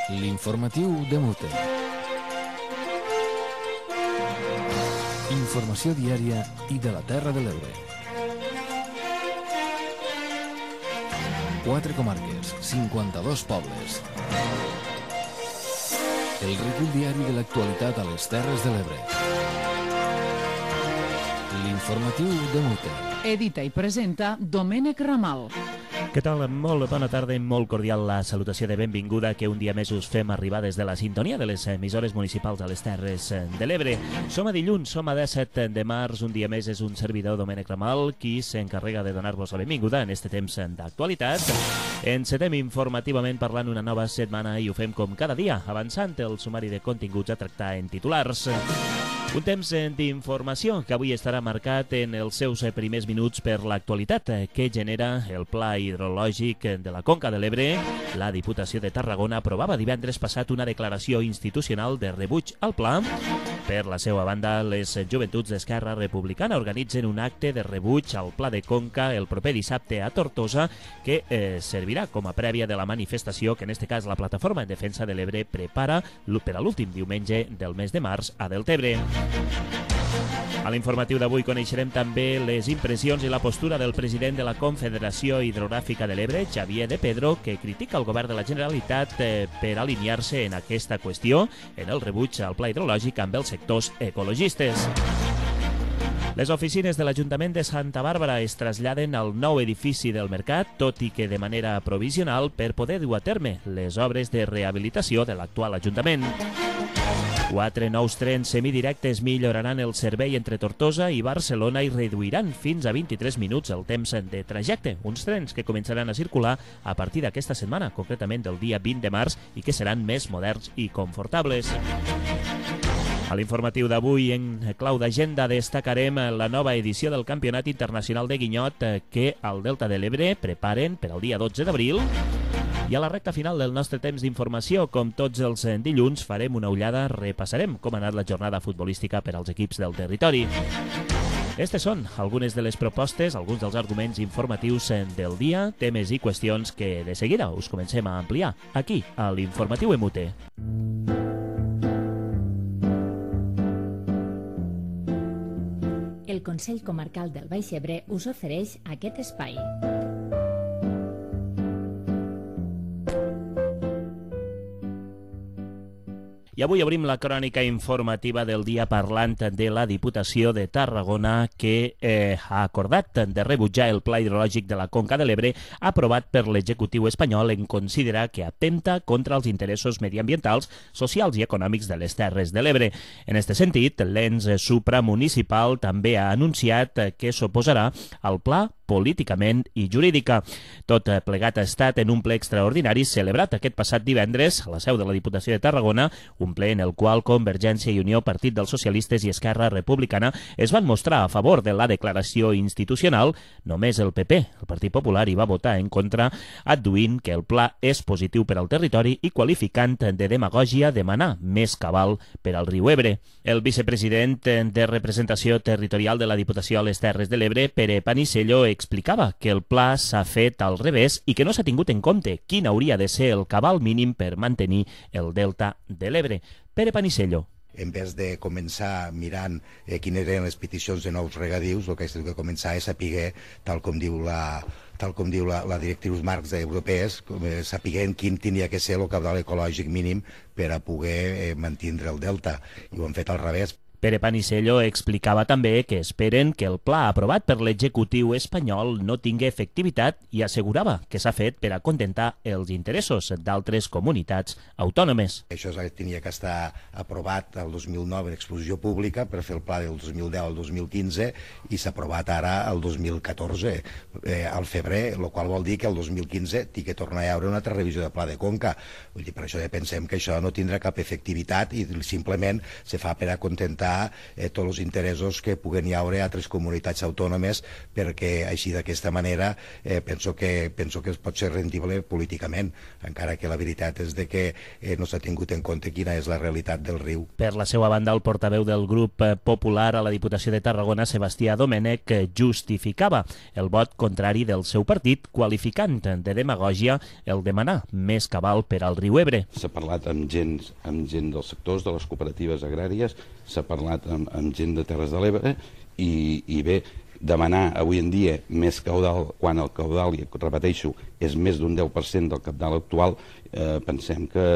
L'informatiu de Mute. Informació diària i de la Terra de l'Ebre. 4 comarques, 52 pobles. El recull diari de l'actualitat a les Terres de l'Ebre. L'informatiu de Mute. Edita i presenta Domènec Ramal. Què tal? Molt bona tarda i molt cordial la salutació de benvinguda que un dia més us fem arribar des de la sintonia de les emissores municipals a les Terres de l'Ebre. Som a dilluns, som a 17 de març, un dia més és un servidor Domènec Ramal qui s'encarrega de donar-vos la benvinguda en este temps d'actualitat. Encetem informativament parlant una nova setmana i ho fem com cada dia, avançant el sumari de continguts a tractar en titulars. Un temps d'informació que avui estarà marcat en els seus primers minuts per l'actualitat que genera el Pla Hidrològic de la Conca de l'Ebre. La Diputació de Tarragona aprovava divendres passat una declaració institucional de rebuig al pla. Per la seva banda, les joventuts d'Esquerra Republicana organitzen un acte de rebuig al Pla de Conca el proper dissabte a Tortosa que servirà com a prèvia de la manifestació que en este cas la Plataforma en Defensa de l'Ebre prepara per a l'últim diumenge del mes de març a Deltebre. A l'informatiu d'avui coneixerem també les impressions i la postura del president de la Confederació Hidrogràfica de l'Ebre, Xavier de Pedro, que critica el govern de la Generalitat per alinear-se en aquesta qüestió en el rebuig al pla hidrològic amb els sectors ecologistes. Les oficines de l'Ajuntament de Santa Bàrbara es traslladen al nou edifici del Mercat, tot i que de manera provisional per poder dur a terme les obres de rehabilitació de l'actual Ajuntament. 4 nous trens semidirectes milloraran el servei entre Tortosa i Barcelona i reduiran fins a 23 minuts el temps de trajecte. Uns trens que començaran a circular a partir d'aquesta setmana, concretament del dia 20 de març, i que seran més moderns i confortables. A l'informatiu d'avui, en clau d'agenda, destacarem la nova edició del Campionat Internacional de Guinyot que al Delta de l'Ebre preparen per al dia 12 d'abril. I a la recta final del nostre temps d'informació, com tots els dilluns, farem una ullada, repassarem com ha anat la jornada futbolística per als equips del territori. Estes són algunes de les propostes, alguns dels arguments informatius del dia, temes i qüestions que de seguida us comencem a ampliar aquí, a l'Informatiu Emute. El Consell Comarcal del Baix Ebre us ofereix aquest espai. I avui obrim la crònica informativa del dia parlant de la Diputació de Tarragona que ha acordat de rebutjar el Pla Hidrològic de la Conca de l'Ebre aprovat per l'executiu espanyol en considerar que atempta contra els interessos mediambientals, socials i econòmics de les Terres de l'Ebre. En aquest sentit, l'ens supramunicipal també ha anunciat que s'oposarà al pla políticament i jurídica. Tot plegat ha estat en un ple extraordinari celebrat aquest passat divendres a la seu de la Diputació de Tarragona, un ple en el qual Convergència i Unió, Partit dels Socialistes i Esquerra Republicana es van mostrar a favor de la declaració institucional. Només el PP, el Partit Popular, hi va votar en contra, adduint que el pla és positiu per al territori i qualificant de demagògia demanar més cabal per al riu Ebre. El vicepresident de representació territorial de la Diputació a les Terres de l'Ebre, Pere Panisello, explicava que el pla s'ha fet al revés i que no s'ha tingut en compte quin hauria de ser el cabal mínim per mantenir el delta de l'Ebre. Pere Panisello. En vez de començar mirant quines eren les peticions de nous regadius, el que has de començar és saber, tal com diu la directrius marcs europees, sapiguent quin tenia que ser el cabal ecològic mínim per a poder mantenir el delta. I ho han fet al revés. Pere Panisello explicava també que esperen que el pla aprovat per l'executiu espanyol no tingui efectivitat i assegurava que s'ha fet per a contentar els interessos d'altres comunitats autònomes. Això tenia que estar aprovat el 2009 en exposició pública per fer el pla del 2010 al 2015 i s'ha aprovat ara el 2014 al febrer, el qual vol dir que el 2015 té que tornar a haver una altra revisió de pla de Conca. Vull dir, per això pensem que això no tindrà cap efectivitat i simplement se fa per a contentar defensar tots els interessos que puguen hi haure a altres comunitats autònomes, perquè així d'aquesta manera penso que es pot ser rendible políticament, encara que la veritat és de que no s'ha tingut en compte quina és la realitat del riu. Per la seva banda, el portaveu del grup popular a la Diputació de Tarragona, Sebastià Domènech, justificava el vot contrari del seu partit, qualificant de demagògia el demanar més cabal per al riu Ebre. S'ha parlat amb gent dels sectors, de les cooperatives agràries, s'ha parlat amb gent de Terres de l'Ebre i bé, demanar avui en dia més caudal quan el caudal, i repeteixo, és més d'un 10% del cabal actual, pensem que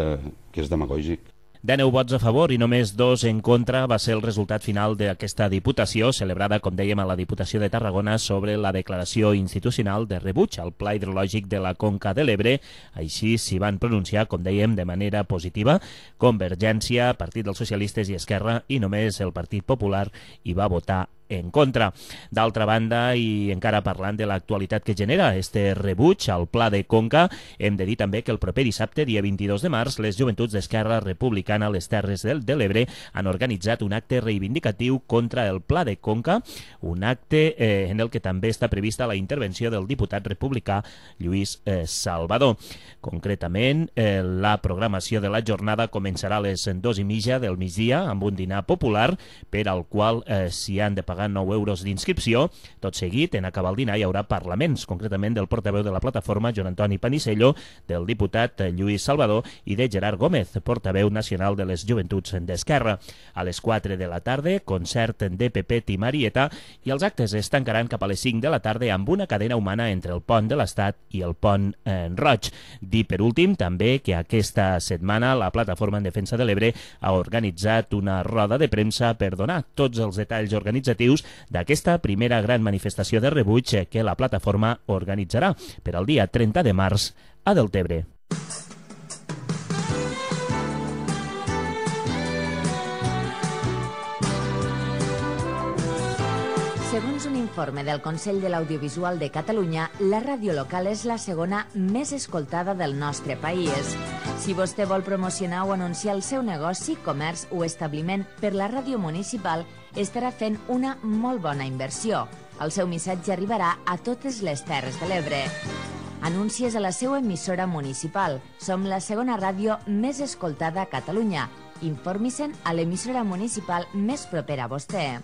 és demagògic. 19 vots a favor i només 2 en contra va ser el resultat final d'aquesta Diputació, celebrada, com dèiem, a la Diputació de Tarragona sobre la declaració institucional de rebuig al Pla Hidrològic de la Conca de l'Ebre. Així s'hi van pronunciar, com dèiem, de manera positiva Convergència, Partit dels Socialistes i Esquerra, i només el Partit Popular hi va votar en contra. D'altra banda, i encara parlant de l'actualitat que genera este rebuig al Pla de Conca, hem de dir també que el proper dissabte, dia 22 de març, les joventuts d'Esquerra Republicana a les Terres de l'Ebre han organitzat un acte reivindicatiu contra el Pla de Conca, un acte en el que també està prevista la intervenció del diputat republicà Lluís Salvador. Concretament, la programació de la jornada començarà a les 2:30 del migdia amb un dinar popular per al qual s'hi han de pagar 9 euros d'inscripció. Tot seguit, en acabar el dinar, hi haurà parlaments, concretament del portaveu de la plataforma, Joan Antoni Panisello, del diputat Lluís Salvador i de Gerard Gómez, portaveu nacional de les Joventuts d'Esquerra. A les 4 de la tarda, concert de Pepet i Marieta, i els actes es tancaran cap a les 5 de la tarda amb una cadena humana entre el pont de l'Estat i el pont Roig. Dir, per últim, també que aquesta setmana la Plataforma en Defensa de l'Ebre ha organitzat una roda de premsa per donar tots els detalls organitzatius d'aquesta primera gran manifestació de rebuig que la plataforma organitzarà per al dia 30 de març a Deltebre. Segons un informe del Consell de l'Audiovisual de Catalunya, la ràdio local és la segona més escoltada del nostre país. Si vostè vol promocionar o anunciar el seu negoci, comerç o establiment per la ràdio municipal, estarà fent una molt bona inversió. El seu missatge arribarà a totes les Terres de l'Ebre. Anuncies a la seva emissora municipal. Som la segona ràdio més escoltada a Catalunya. Informi-se'n a l'emissora municipal més propera a vostè.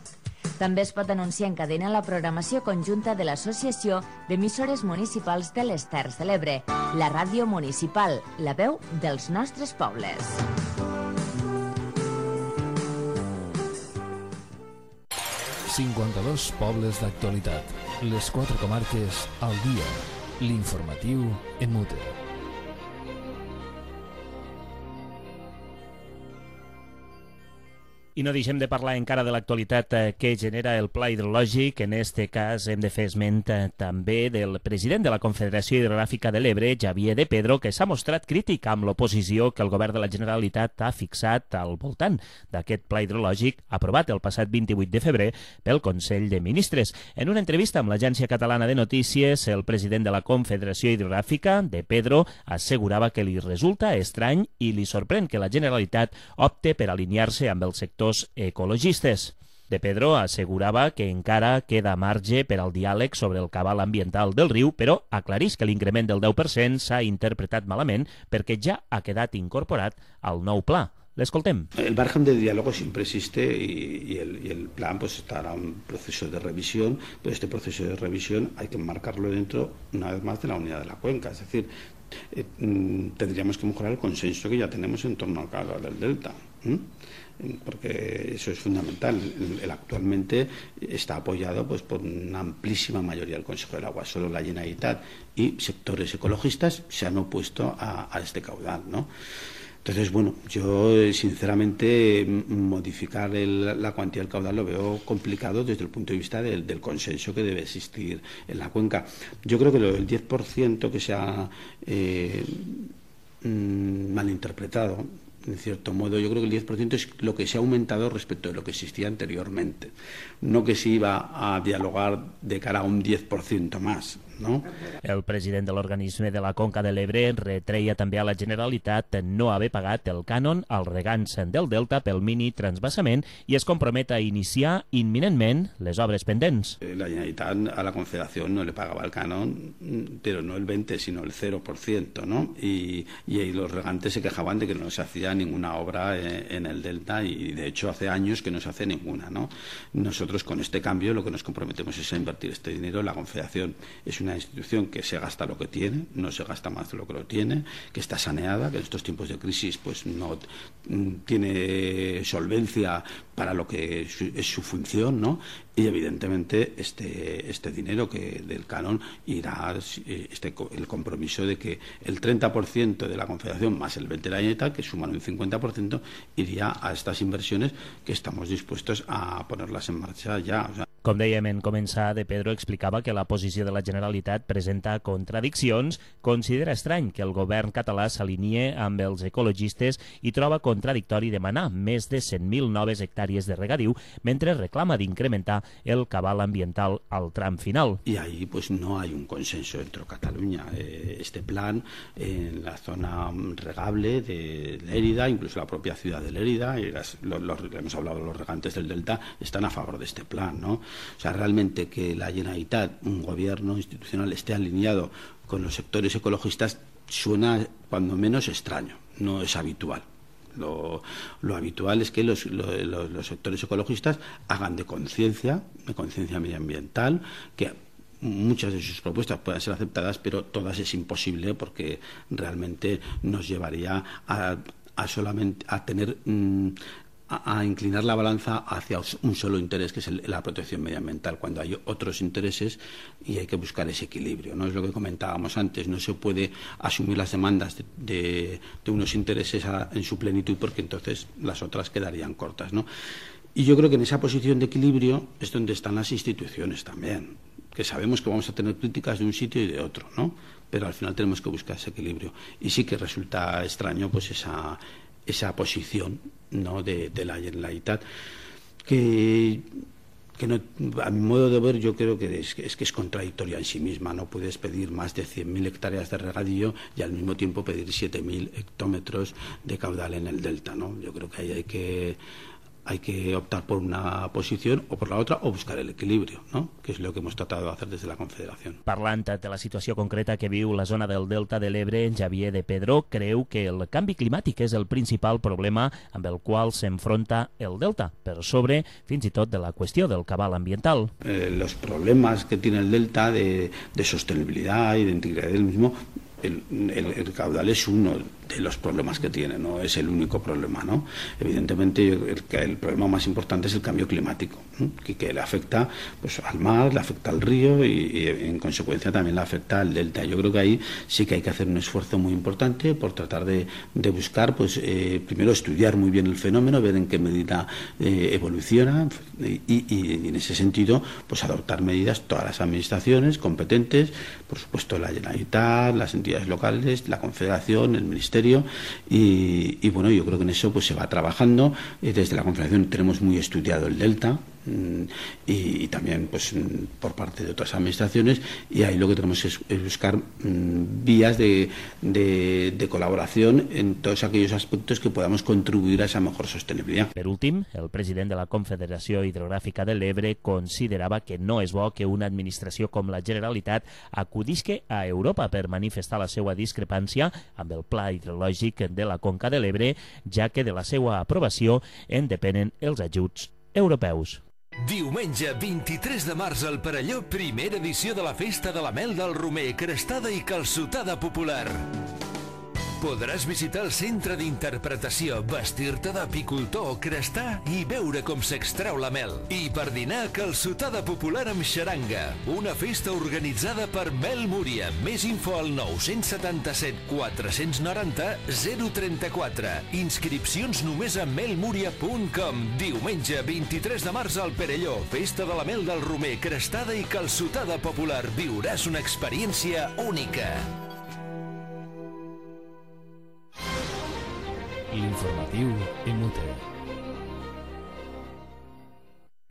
També es pot anunciar en cadena la programació conjunta de l'Associació d'Emissores Municipals de les Terres de l'Ebre, la ràdio municipal, la veu dels nostres pobles. ...52 pobles d'actualitat. Les 4 comarques al dia. L'informatiu en mute. I no deixem de parlar encara de l'actualitat que genera el Pla Hidrològic. En este cas hem de fer esment també del president de la Confederació Hidrogràfica de l'Ebre, Xavier de Pedro, que s'ha mostrat crític amb l'oposició que el govern de la Generalitat ha fixat al voltant d'aquest Pla Hidrològic aprovat el passat 28 de febrer pel Consell de Ministres. En una entrevista amb l'Agència Catalana de Notícies, el president de la Confederació Hidrogràfica, de Pedro, assegurava que li resulta estrany i li sorprèn que la Generalitat opte per alinear-se amb el sector ecologistes. De Pedro assegurava que encara queda marge per al diàleg sobre el cabal ambiental del riu, però aclarís que l'increment del 10% s'ha interpretat malament perquè ja ha quedat incorporat al nou pla. L'escoltem. El margen de diálogo siempre existe y el plan pues estará en un proceso de revisión, pero este proceso de revisión hay que marcarlo dentro, una vez más, de la unidad de la cuenca. Es decir, tendríamos que mejorar el consenso que ya tenemos en torno al caudal del delta, porque eso es fundamental. Él actualmente está apoyado pues por una amplísima mayoría del Consejo del Agua. Solo la Generalitat y sectores ecologistas se han opuesto a este caudal, ¿no? Entonces, bueno, yo sinceramente modificar la cuantía del caudal lo veo complicado desde el punto de vista del consenso que debe existir en la cuenca. Yo creo que el 10% que se ha malinterpretado, en cierto modo, yo creo que el 10% es lo que se ha aumentado respecto de lo que existía anteriormente. No que se iba a dialogar de cara a un 10% más. no? El president de l'organisme de la Conca de l'Ebre retreia també a la Generalitat no haver pagat el cànon als regants del Delta pel mini transvasament i es compromet a iniciar imminentment les obres pendents. La Generalitat a la Confederación no le pagaba el canon, pero no el 20, sino el 0%, ¿no? Y los regantes se quejaban de que no se hacía ninguna obra en el Delta y de hecho hace años que no se hace ninguna, ¿no? Nosotros con este cambio lo que nos comprometemos es a invertir este dinero. La Confederación es una institución que se gasta lo que tiene, no se gasta más de lo que lo tiene, que está saneada, que en estos tiempos de crisis pues no tiene solvencia para lo que es su función, ¿no? Y evidentemente este dinero que del canon irá el compromiso de que el 30% de la Confederación más el 20% de la Generalitat, que suman un 50%, iría a estas inversiones que estamos dispuestos a ponerlas en marcha ya. O sea, com dèiem en començar, De Pedro explicava que la posició de la Generalitat presenta contradiccions, considera estrany que el govern català s'alinee amb els ecologistes i troba contradictori demanar més de 100.000 noves hectàrees de regadiu mentre reclama d'incrementar el cabal ambiental al tram final. Y ahí pues no hay un consenso dentro de Cataluña. Este plan en la zona regable de Lérida, incluso la propia ciudad de Lérida, y hemos hablado de los regantes del Delta, están a favor de este plan, ¿no? O sea, realmente que la Generalitat, un gobierno institucional, esté alineado con los sectores ecologistas suena cuando menos extraño, no es habitual. Lo habitual es que los sectores ecologistas hagan de conciencia medioambiental, que muchas de sus propuestas puedan ser aceptadas, pero todas es imposible porque realmente nos llevaría a tener a inclinar la balanza hacia un solo interés, que es la protección medioambiental, cuando hay otros intereses y hay que buscar ese equilibrio, ¿no? Es lo que comentábamos antes, no se puede asumir las demandas de unos intereses en su plenitud porque entonces las otras quedarían cortas, ¿no? Y yo creo que en esa posición de equilibrio es donde están las instituciones también, que sabemos que vamos a tener críticas de un sitio y de otro, ¿no? Pero al final tenemos que buscar ese equilibrio. Y sí que resulta extraño pues esa posición, ¿no? de la Generalitat, que no, a mi modo de ver yo creo que es contradictoria en sí misma. No puedes pedir más de 100.000 hectáreas de regadío y al mismo tiempo pedir 7.000 hectómetros de caudal en el delta, ¿no? Yo creo que ahí hay que optar por una posición o por la otra o buscar el equilibrio, ¿no? Que es lo que hemos tratado de hacer desde la Confederación. Parlant de la situació concreta que viu la zona del Delta de l'Ebre, Xavier De Pedro creu que el canvi climàtic és el principal problema amb el qual s'enfronta el Delta, per sobre fins i tot de la qüestió del cabal ambiental. Los problemas que tiene el Delta de sostenibilidad y de integridad del mismo, el caudal es uno de los problemas que tiene, no es el único problema, ¿no? Evidentemente el problema más importante es el cambio climático, ¿no? que le afecta pues al mar, le afecta al río y en consecuencia también le afecta al delta. Yo creo que ahí sí que hay que hacer un esfuerzo muy importante por tratar de buscar, pues primero estudiar muy bien el fenómeno, ver en qué medida evoluciona y en ese sentido pues adoptar medidas todas las administraciones competentes, por supuesto la Generalitat, las entidades locales, la Confederación, el Ministerio. Y bueno, yo creo que en eso pues se va trabajando. Desde la Confederación tenemos muy estudiado el delta y también pues por parte de otras administraciones, y ahí lo que tenemos es buscar vías de colaboración en todos aquellos aspectos que podamos contribuir a esa mejor sostenibilidad. Per últim, el president de la Confederació Hidrogràfica de l'Ebre considerava que no és bo que una administració com la Generalitat acudisque a Europa per manifestar la seva discrepància amb el pla hidrològic de la Conca de l'Ebre, ja que de la seva aprovació en depenen els ajuts europeus. Diumenge 23 de març al Perelló, primera edició de la Festa de la Mel del Romer, crestada i calçotada popular. Podràs visitar el centre d'interpretació, vestir-te d'apicultor o crestar i veure com s'extreu la mel. I per dinar, calçotada popular amb xaranga. Una festa organitzada per Mel Múria. Més info al 977 490 034. Inscripcions només a melmuria.com. Diumenge 23 de març al Perelló. Festa de la Mel del Romer, crestada i calçotada popular. Viuràs una experiència única. L'informatiu Imute.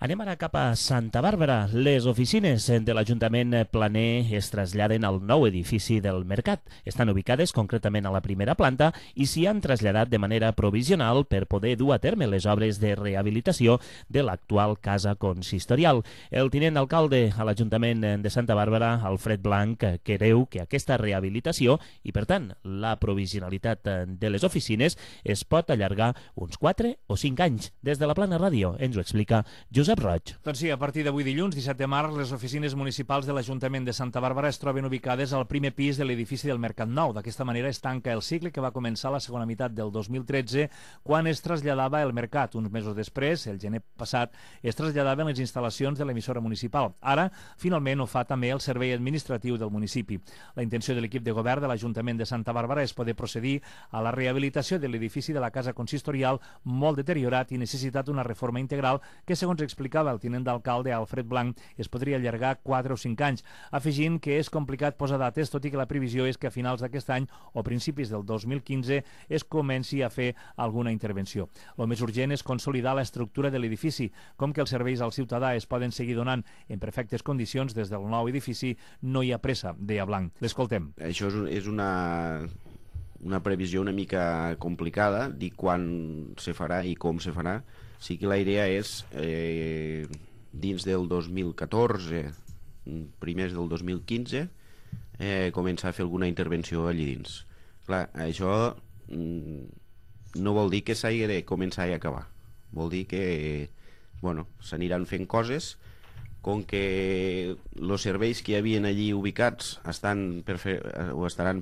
Anem ara cap a Santa Bàrbara. Les oficines de l'Ajuntament planer es traslladen al nou edifici del Mercat. Estan ubicades concretament a la primera planta i s'hi han traslladat de manera provisional per poder dur a terme les obres de rehabilitació de l'actual casa consistorial. El tinent d'alcalde a l'Ajuntament de Santa Bàrbara, Alfred Blanc, creu que aquesta rehabilitació i, per tant, la provisionalitat de les oficines es pot allargar uns 4 o 5 anys. Des de la Plana Ràdio ens ho explica Josep Roig. Doncs sí, a partir d'avui dilluns, 17 de març, les oficines municipals de l'Ajuntament de Santa Bàrbara es troben ubicades al primer pis de l'edifici del Mercat Nou. D'aquesta manera es tanca el cicle que va començar la segona meitat del 2013, quan es traslladava el Mercat. Uns mesos després, el gener passat, es traslladaven les instal·lacions de l'emissora municipal. Ara, finalment, ho fa també el servei administratiu del municipi. La intenció de l'equip de govern de l'Ajuntament de Santa Bàrbara és poder procedir a la rehabilitació de l'edifici de la casa consistorial, molt deteriorat i necessitat una reforma integral que, segons explicava el tinent d'alcalde Alfred Blanc, es podria allargar 4 o 5 anys, afegint que és complicat posar dates, tot i que la previsió és que a finals d'aquest any o principis del 2015 es comenci a fer alguna intervenció. El més urgent és consolidar l'estructura de l'edifici, com que els serveis al ciutadà es poden seguir donant en perfectes condicions des del nou edifici, no hi ha pressa, deia Blanc. L'escoltem. Això és una previsió una mica complicada, dir quan se farà i com se farà. Sí que la idea és, dins del 2014, primers del 2015, començar a fer alguna intervenció allí dins. Clar, això no vol dir que s'hagi de començar i acabar. Vol dir que s'aniran fent coses, com que els serveis que hi havia allí ubicats estaran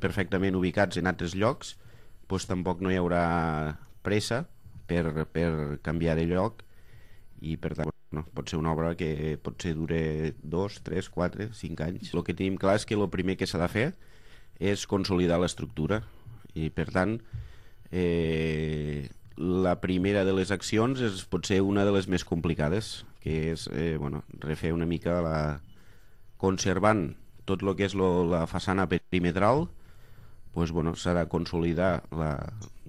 perfectament ubicats en altres llocs, doncs tampoc no hi haurà pressa per canviar de lloc i per tant pot ser una obra que potser dure 2, 3, 4, 5 anys. El que tenim clar és que el primer que s'ha de fer és consolidar l'estructura i per tant la primera de les accions és potser una de les més complicades, que és refer una mica conservant tot el que és la façana perimetral, s'ha de consolidar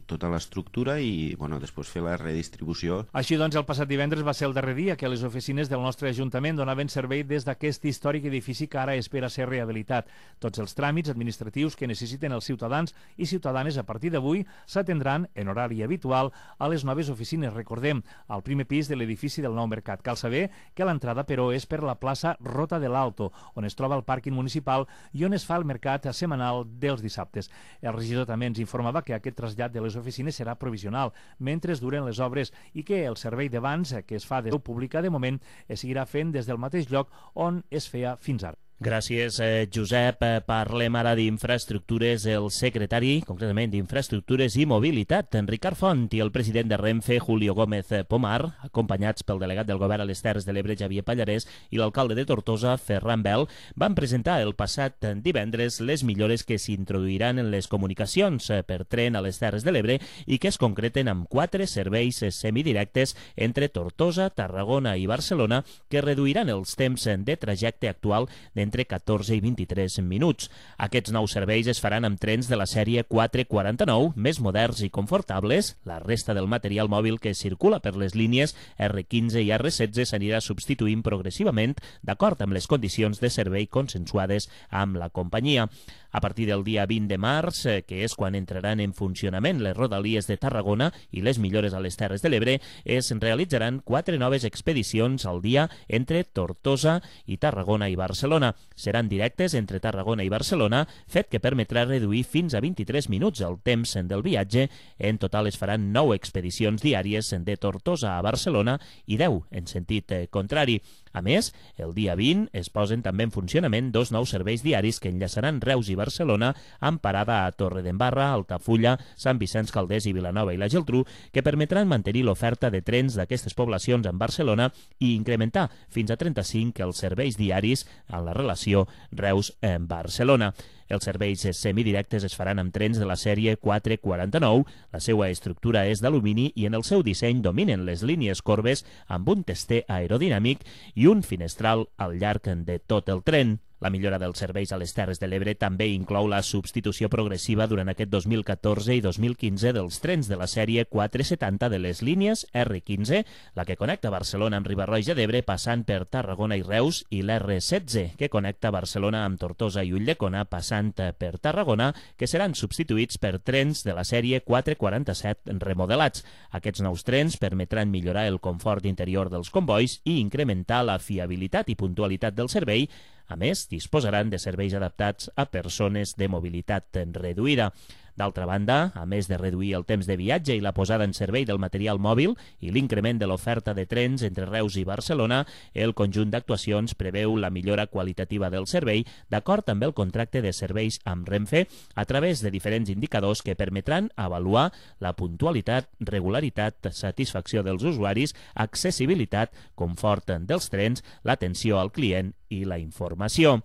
tota l'estructura i després fer la redistribució. Així doncs, el passat divendres va ser el darrer dia que les oficines del nostre Ajuntament donaven servei des d'aquest històric edifici que ara espera ser rehabilitat. Tots els tràmits administratius que necessiten els ciutadans i ciutadanes a partir d'avui s'atendran en horari habitual a les noves oficines, recordem, al primer pis de l'edifici del nou Mercat. Cal saber que l'entrada, però, és per la plaça Rota de l'Alto, on es troba el pàrquing municipal i on es fa el mercat setmanal dels dissabtes. El regidor també ens informava que aquest trasllat de les oficines serà provisional mentre es duren les obres i que el servei d'abans, que es fa de veu pública de moment, es seguirà fent des del mateix lloc on es feia fins ara. Gràcies, Josep. Parlem ara d'infraestructures. El secretari, concretament d'Infraestructures i Mobilitat, Ricard Font, i el president de Renfe, Julio Gómez Pomar, acompanyats pel delegat del govern a les Terres de l'Ebre, Xavier Pallarès, i l'alcalde de Tortosa, Ferran Bel, van presentar el passat divendres les millores que s'introduiran en les comunicacions per tren a les Terres de l'Ebre i que es concreten amb 4 serveis semidirectes entre Tortosa, Tarragona i Barcelona que reduiran els temps de trajecte actual d'entre 14 i 23 minuts. Aquests nous serveis es faran amb trens de la sèrie 449, més moderns i confortables. La resta del material mòbil que circula per les línies R15 i R16 s'anirà substituint progressivament d'acord amb les condicions de servei consensuades amb la companyia. A partir del dia 20 de març, que és quan entraran en funcionament les rodalies de Tarragona i les millores a les Terres de l'Ebre, es realitzaran 4 noves expedicions al dia entre Tortosa i Tarragona i Barcelona. Seran directes entre Tarragona i Barcelona, fet que permetrà reduir fins a 23 minuts el temps del viatge. En total es faran 9 expedicions diàries de Tortosa a Barcelona i 10 en sentit contrari. A més, el dia 20 es posen també en funcionament 2 nous serveis diaris que enllaçaran Reus i Barcelona amb parada a Torredembarra, Altafulla, Sant Vicenç Calders i Vilanova i la Geltrú, que permetran mantenir l'oferta de trens d'aquestes poblacions en Barcelona i incrementar fins a 35 els serveis diaris en la relació Reus-Barcelona. Els serveis semidirectes es faran amb trens de la sèrie 449. La seva estructura és d'alumini i en el seu disseny dominen les línies corbes amb un tester aerodinàmic i un finestral al llarg de tot el tren. La millora dels serveis a les Terres de l'Ebre també inclou la substitució progressiva durant aquest 2014 i 2015 dels trens de la sèrie 470 de les línies R15, la que connecta Barcelona amb Riba-roja d'Ebre passant per Tarragona i Reus, i l'R16, que connecta Barcelona amb Tortosa i Ulldecona passant per Tarragona, que seran substituïts per trens de la sèrie 447 remodelats. Aquests nous trens permetran millorar el confort interior dels combois i incrementar la fiabilitat i puntualitat del servei. A més, disposaran de serveis adaptats a persones de mobilitat reduïda. D'altra banda, a més de reduir el temps de viatge i la posada en servei del material mòbil i l'increment de l'oferta de trens entre Reus i Barcelona, el conjunt d'actuacions preveu la millora qualitativa del servei d'acord amb el contracte de serveis amb Renfe a través de diferents indicadors que permetran avaluar la puntualitat, regularitat, satisfacció dels usuaris, accessibilitat, confort dels trens, l'atenció al client i la informació.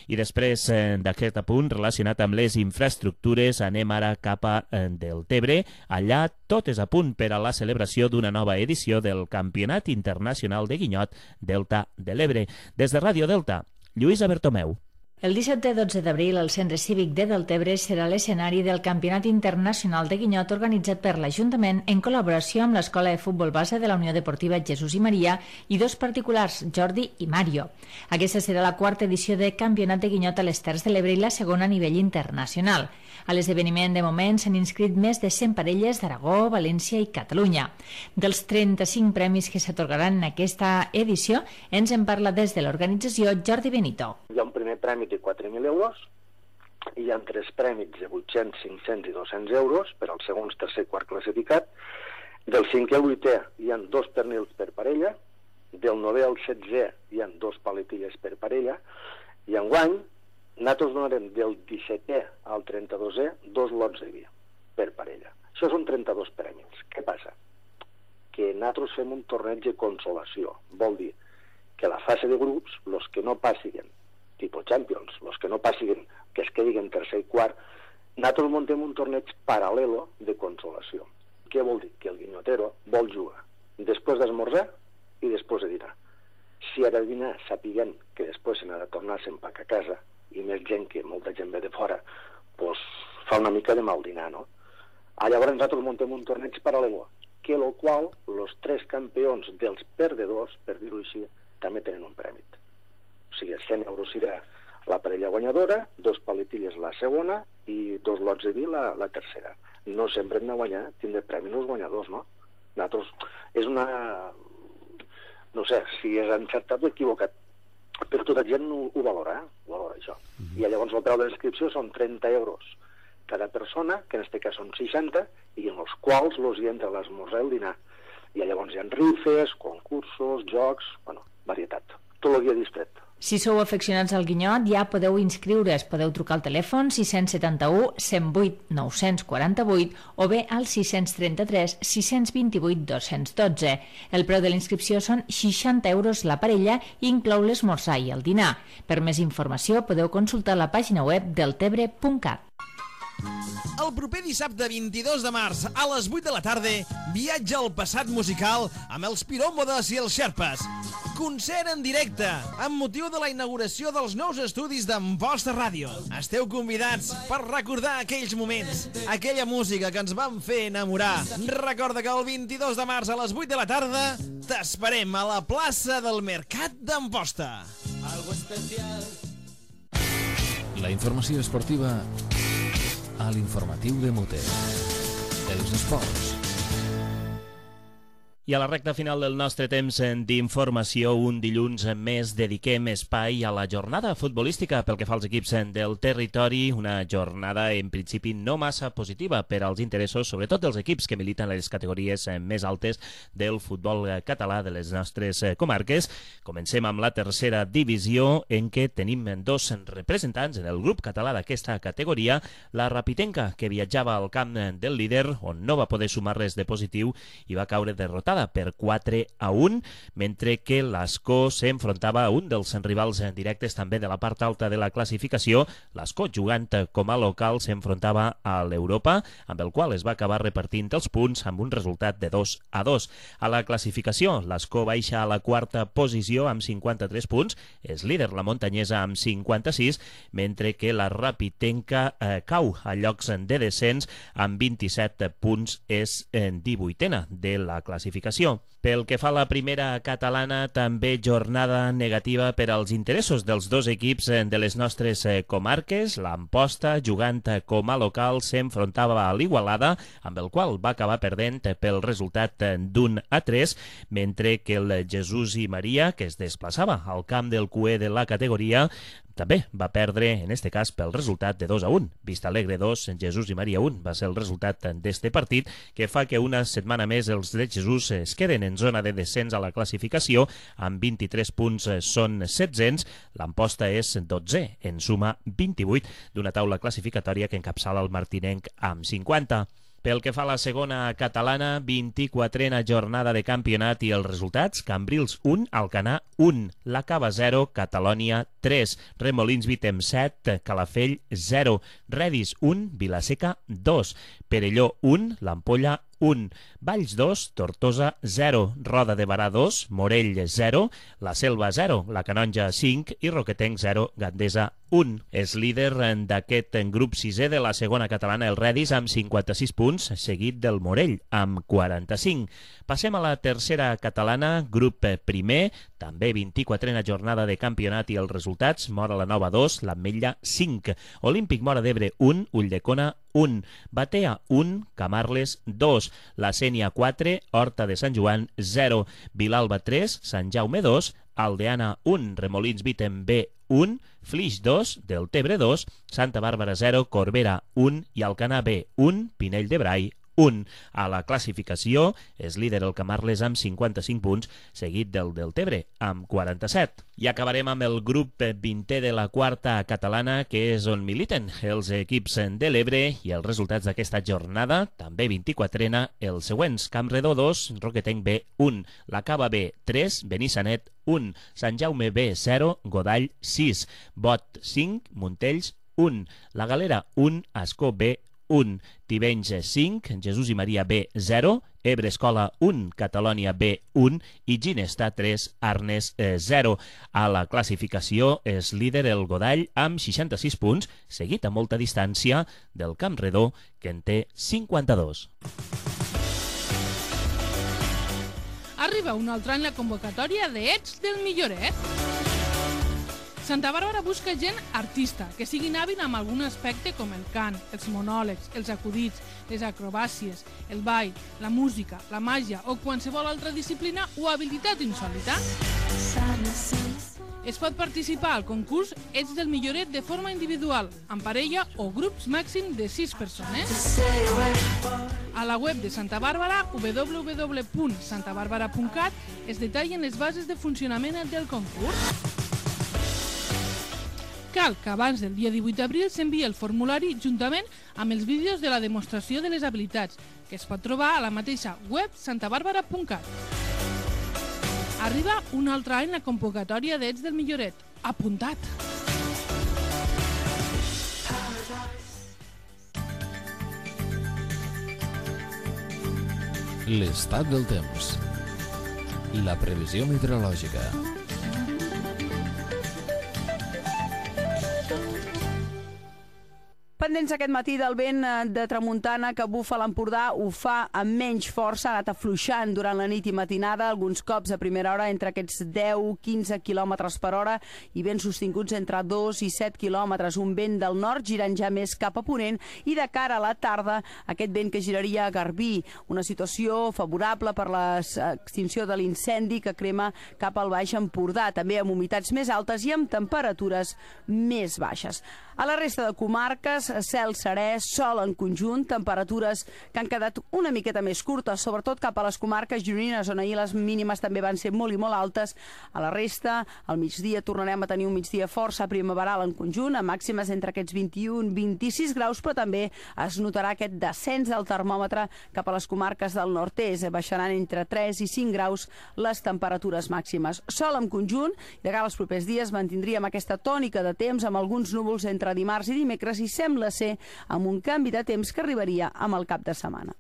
I després d'aquest apunt relacionat amb les infraestructures, anem ara cap a Deltebre. Allà tot és a punt per a la celebració d'una nova edició del Campionat Internacional de Guinyot Delta de l'Ebre. Des de Ràdio Delta, Lluïsa Bertomeu. El 17 i 12 d'abril, el Centre Cívic de Deltebre serà l'escenari del Campionat Internacional de Guinyot organitzat per l'Ajuntament en col·laboració amb l'Escola de Futbol Base de la Unió Deportiva Jesús i Maria i dos particulars, Jordi i Mario. Aquesta serà la quarta edició de Campionat de Guinyot a les Terres de l'Ebre i la segona a nivell internacional. A l'esdeveniment, de moment, s'han inscrit més de 100 parelles d'Aragó, València i Catalunya. Dels 35 premis que s'atorgaran en aquesta edició, ens en parla des de l'organització Jordi Benito. Hi ha un primer premi de 4.000 euros, hi ha 3 prèmits de 800, 500 i 200 euros per als segons, tercer i quart classificat. Del 5è al 8è hi ha 2 pernils per parella, del 9è al 16è hi ha 2 paletilles per parella, i enguany nosaltres donarem del 17è al 32è 2 lots de vi per parella. Això són 32 prèmits. Què passa? Que nosaltres fem un torneig de consolació. Vol dir que la fase de grups, els que no passin tipus Champions, els que no passin, que es quedin en tercer i quart, nosaltres muntem un torneig paral·lelo de consolació. Què vol dir? Que el guinyotero vol jugar després d'esmorzar i després de dinar. Si ara de dinar sapiguem que després se n'ha de tornar se'n a casa, i més gent que molta gent ve de fora, doncs fa una mica de mal dinar, no? Llavors nosaltres muntem un torneig paral·lelo, que el qual els 3 campions dels perdedors, per dir-ho així, també tenen un premi. O sigui, 100 euros serà la parella guanyadora, 2 paletilles la segona i 2 lots de vi la tercera. No sempre hem de guanyar, tindre premis els guanyadors, no? Nosaltres, és una... no sé si és encertat o equivocat, però tota gent ho valora, això. I llavors el preu de l'inscripció són 30 euros cada persona, que en aquest cas són 60, i en els quals hi entra l'esmorzar i el dinar. I llavors hi ha rifes, concursos, jocs, bueno, varietat. Tot el dia distret. Si sou afeccionats al guinyot, ja podeu inscriure's. Podeu trucar al telèfon 671 108 948 o bé al 633 628 212. El preu de l'inscripció són 60 euros la parella i inclou l'esmorzar i el dinar. Per més informació podeu consultar la pàgina web deltebre.cat. El proper dissabte 22 de març a les 8 de la tarda viatja al passat musical amb els Piròmodes i els Xerpes. Concert en directe amb motiu de la inauguració dels nous estudis d'Amposta Ràdio. Esteu convidats per recordar aquells moments, aquella música que ens van fer enamorar. Recorda que el 22 de març a les 8 de la tarda t'esperem a la plaça del Mercat d'Amposta. Algo especial. La informació esportiva a l'informatiu de Mote. Els esports. I a la recta final del nostre temps d'informació, un dilluns més dediquem espai a la jornada futbolística pel que fa als equips del territori, una jornada en principi no massa positiva per als interessos, sobretot dels equips que militen a les categories més altes del futbol català de les nostres comarques. Comencem amb la tercera divisió, en què tenim 2 representants en el grup català d'aquesta categoria, la Rapitenca, que viatjava al camp del líder, on no va poder sumar res de positiu i va caure derrotada Igualada per 4-1, mentre que l'Ascó s'enfrontava a un dels rivals directes també de la part alta de la classificació. L'Ascó, jugant com a local, s'enfrontava a l'Europa, amb el qual es va acabar repartint els punts amb un resultat de 2-2. A la classificació, l'Ascó baixa a la quarta posició amb 53 punts, és líder la muntanyesa amb 56, mentre que la Rapitenca cau a llocs de descens amb 27 punts, és 18a de la classificació. Pel que fa a la primera catalana, també jornada negativa per als interessos dels dos equips de les nostres comarques. l'Amposta, jugant com a local, s'enfrontava a l'Igualada, amb el qual va acabar perdent pel resultat d'1-3, mentre que el Jesús i Maria, que es desplaçava al camp del cué de la categoria, també va perdre, en este cas, pel resultat de 2-1. Vistalegre 2, Jesús i Maria 1 va ser el resultat d'este partit, que fa que una setmana més els de Jesús es queden en zona de descens a la classificació, amb 23 punts són 700, l'Amposta és 12, en suma 28, d'una taula classificatòria que encapçala el martinenc amb 50. Pel que fa a la segona catalana, 24a jornada de campionat i els resultats: Cambrils 1, Alcanar 1, la Cava 0, Catalònia 3, Remolins Vitem 7, Calafell 0, Redis 1, Vilaseca 2, Perelló 1, l'Ampolla 1, Valls 2, Tortosa 0, Roda de Barà 2, Morell 0, La Selva 0, la Canonja 5 i Roquetenc 0, Gandesa 1. És líder d'aquest grup 6è de la segona catalana el Redis amb 56 punts, seguit del Morell amb 45. Passem a la tercera catalana, grup primer, també 24a jornada de campionat i els resultats: Móra la Nova 2, l'Ametlla 5, Olímpic Móra d'Ebre 1, Ulldecona 1, Batea 1, Camarles 2, La Sénia 4, Horta de Sant Joan 0, Vilalba 3, Sant Jaume 2, Aldeana 1, Remolins Vitem B 1, Flix 2, Deltebre 2, Santa Bàrbara 0, Corbera 1 i Alcanar B 1, Pinell de Brai 1. A la classificació és líder el Camarles amb 55 punts, seguit del Deltebre amb 47. I acabarem amb el grup 20è de la quarta catalana, que és on militen els equips de l'Ebre, i els resultats d'aquesta jornada, també 24a, els següents: Campredó 2, Roquetenc B 1, la Cava B 3, Benissanet 1, Sant Jaume B 0, Godall 6, Bot 5, Montells 1, la Galera 1, Ascó B 1, Tivenys 5, Jesús i Maria B 0, Ebre Escola 1, Catalònia B 1 i Ginesta 3, Arnes 0. A la classificació és líder el Godall amb 66 punts, seguit a molta distància del Campredó, que en té 52. Arriba un altre any la convocatòria de Ets del Milloret. Santa Bàrbara busca gent artista, que siguin hàbil amb algun aspecte com el cant, els monòlegs, els acudits, les acrobàcies, el ball, la música, la màgia o qualsevol altra disciplina o habilitat insòlita. Es pot participar al concurs Ets del Milloret de forma individual, en parella o grups màxim de 6 persones. A la web de Santa Bàrbara, www.santabarbara.cat, es detallen les bases de funcionament del concurs. Cal que abans del dia 18 d'abril s'enviï el formulari juntament amb els vídeos de la demostració de les habilitats, que es pot trobar a la mateixa web santabarbara.cat. Arriba un altre any la convocatòria d'Ets del Milloret. Apuntat! L'estat del temps. La previsió meteorològica. Pendents aquest matí del vent de tramuntana que bufa a l'Empordà, ho fa amb menys força, ha anat afluixant durant la nit i matinada, alguns cops a primera hora entre aquests 10-15 km per hora i vents sostinguts entre 2 i 7 km, un vent del nord girant ja més cap a ponent, i de cara a la tarda aquest vent que giraria a Garbí, una situació favorable per l'extinció de l'incendi que crema cap al Baix Empordà, també amb humitats més altes i amb temperatures més baixes. A la resta de comarques, cel serè, sol en conjunt, temperatures que han quedat una miqueta més curtes, sobretot cap a les comarques gironines, on ahir les mínimes també van ser molt i molt altes. A la resta, al migdia tornarem a tenir un migdia força primaveral en conjunt, amb màximes entre aquests 21-26 graus, però també es notarà aquest descens del termòmetre cap a les comarques del nord-est. Baixaran entre 3 i 5 graus les temperatures màximes. Sol en conjunt, i de cara als propers dies mantindríem aquesta tònica de temps amb alguns núvols entre dimarts i dimecres, i sembla ser amb un canvi de temps que arribaria amb el cap de setmana.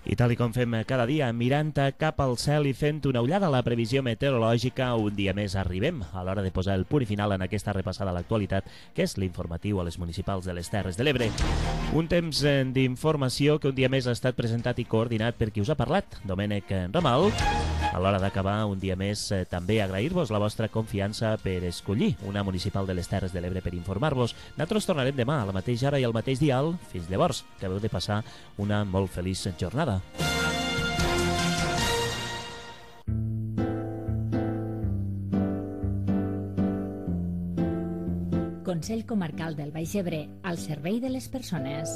I tal i com fem cada dia, mirant cap al cel i fent una ullada a la previsió meteorològica, un dia més arribem a l'hora de posar el punt i final en aquesta repassada a l'actualitat, que és l'informatiu a les municipals de les Terres de l'Ebre. Un temps d'informació que un dia més ha estat presentat i coordinat per qui us ha parlat, Domènec Ramal. A l'hora d'acabar, un dia més, també agrair-vos la vostra confiança per escollir una municipal de les Terres de l'Ebre per informar-vos. Nosaltres tornarem demà a la mateixa hora i al mateix dial. Fins llavors, que heu de passar una molt feliç jornada. Consell Comarcal del Baix Ebre, al servei de les persones.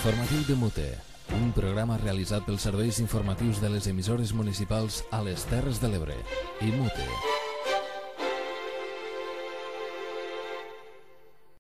L'informatiu de Mute, un programa realitzat pels serveis informatius de les emissores municipals a les Terres de l'Ebre i Mute.